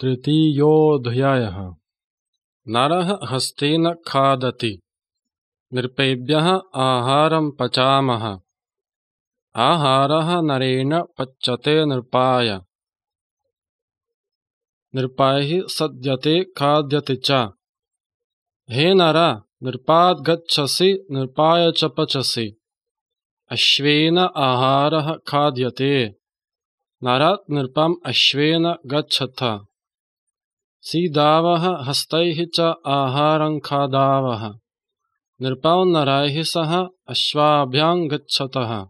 तृतीयोऽध्यायः। नरः हस्तेन खादति। नृपेभ्यः आहारं पचामः। आहारः नरेण पच्यते नृपाय। नृपैः सद्यते खाद्यते च। हे नर, नृपात् गच्छसि, नृपाय च पचसि। अश्वेन आहारः खाद्यते। नरात् नृपम् अश्वेन गच्छथ। सीदावः हस्तैः च आहारं खादावः। नृपौ नरैः सह अश्वाभ्यां गच्छतः।